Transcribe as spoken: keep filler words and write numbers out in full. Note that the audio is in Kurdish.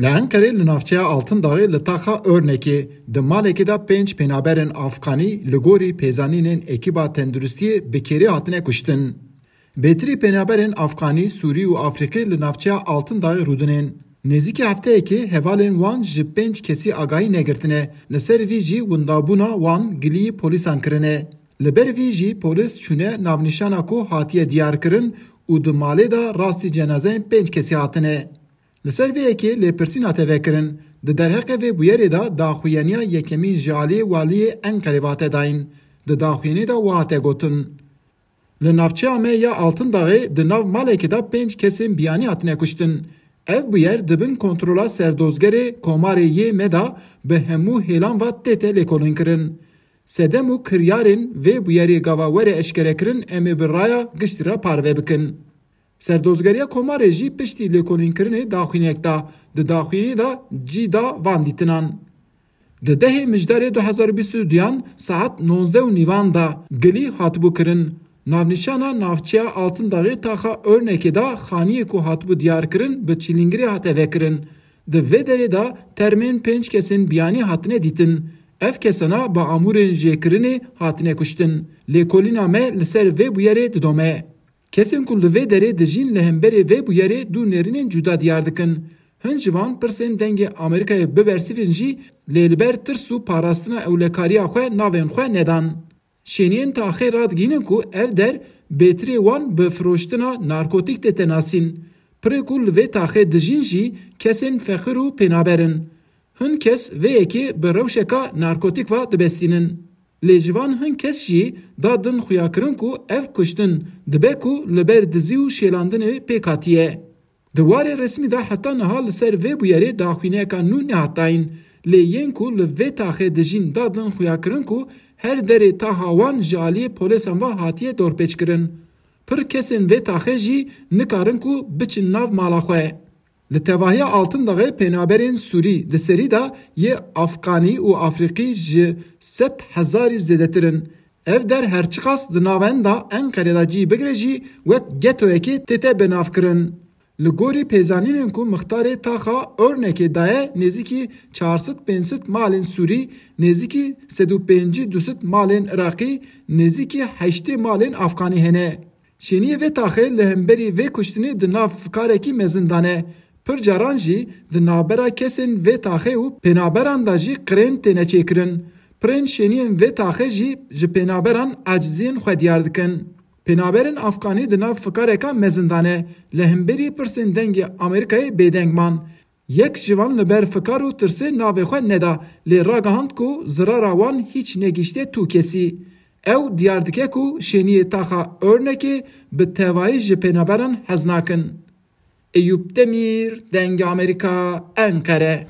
Li Enqerê li navçeya Altındaxê li taxa Örnekê di malekê de pênc pênaberên Afganî li gorî pêzanînên ekîba tenduristiyê bi kêrê hatine kuştin. Bêtirî pênaberên Afganî, Sûrî û Afrîqî li navçeya Altındaxê rûdinên. Nêzîkî hefteyekê hevalên wan ji pênc kesî agahî negirtine, li ser vî jî windabûna wan gilî polîsan kirine. Li ber vî jî polîs çûne navnîşana ku hatiye diyarkirin û di malê de rastî cenazeyên pênc kesî hatine. Li ser vê yekê lêpirsîn hate vekirin. Di derheqê vê bûyerê de daxuyaniya yekemîn ji aliyê waliyê Enqerê ve hate dayîn. Di daxuyanî de wiha hate gotin: Li navçeya me ya Altındaxê di nav malekê de pênc kesên biyanî hatine kuştin. Ev bûyer di bin kontrola serdozgerê komarê yê me de bi hemû hêlan ve tête lêkolînkirin. Sedem û kiryarên vê bûyerê gava were eşkerekirin, em ê bi raya giştî re parve bikin. Serdozgeriya Komarê jî piştî lêkolînkirinê daxuyaniyek da. Di daxuyaniyê de cî da van dîtinan. Di dehê Mijdarê du hezar û bîst û duyan saet nozdeh û nîvan da gilî hatibû kirin. Navnîşana navçeya Altındaxê taxa Örnekê de xaniyê ku hatibû diyarkirin bi çîlîngirê hate vekirin. Di vê derê de termên pênc kesên biyanî hatine dîtin. Ev kesana bi amûrên jêkirinê hatine kuştin. Lêkolîna me li ser vê bûyerê didome. Kesên ku li vê derê dijîn li hemberê vê bûyerê du nêrînên cuda diyar dikin. Hin ji van pirsên dengê Amerîkayê bibersivîn jî, lê li ber tirs û parastina ewlekariya xwe navên xwe nedan. Şêniyên taxê radigihînin ku ev der bêtirê wan bi firoştina narkotîk tête nasîn. Pirê ku li vê taxê dijîn jî kesên feqîr û pênaber in. Hin kes vê yekê bi rewşeka narkotîk ve dibestînin. Lê ji van hin kes jî da din xuyakirin ku ev kuştin dibe ku li ber dizî û şêlandinê pêk hatiye. Di warê resmî de heta niha li ser vê bûyerê daxuyaniyeka nû nehat dayîn. Lê yên ku li vê taxê dijîn da din xuyakirin ku her derê taxa wan ji aliyê polêsan ve hatiye dorpêçkirin. Pir kesên vê taxê jî nikarin ku biçin nav mala xwe. Li tevahiya Altındaxê pênaberên Sûrî di serî de yê Afganî û Afrîqî ji sed hezarî zêdetir in. Ev der her çiqas di navenda Enqerê de cî bigire jî wek getoyekê tête binavkirin. Li gorî pêzanînên ku mixtarê taxa Örnekê daye, nêzîkî çar sed pênc sed malên Sûrî, nêzîkî sed û pêncî du sed malên Iraqî, nêzîkî heştê malên Afganî hene. Şêniyê vê taxê li hemberî vê kuştinê di nav fikarekî mezin de ne. Pir caran jî di navbera kesên vê taxê û pênaberan de jî qirên têne çêkirin. Pirên şêniyên vê taxê jî ji pênaberan aciziyên xwe diyar dikin. Pênaberên Afganî di nav fikareka mezin de ne. Li hemberî pirsên dengê Amerîkayê bêdeng man. Yek ji van li ber fikar û tirsê navê xwe neda, lê ragihand ku zirara wan hîç negihiştiye tu kesî. Ew diyar dike ku şêniyê taxa Örnekê bi tevayî ji pênaberan hez nakin. Eyûp Demîr, Dengê Amerîka, Enqere.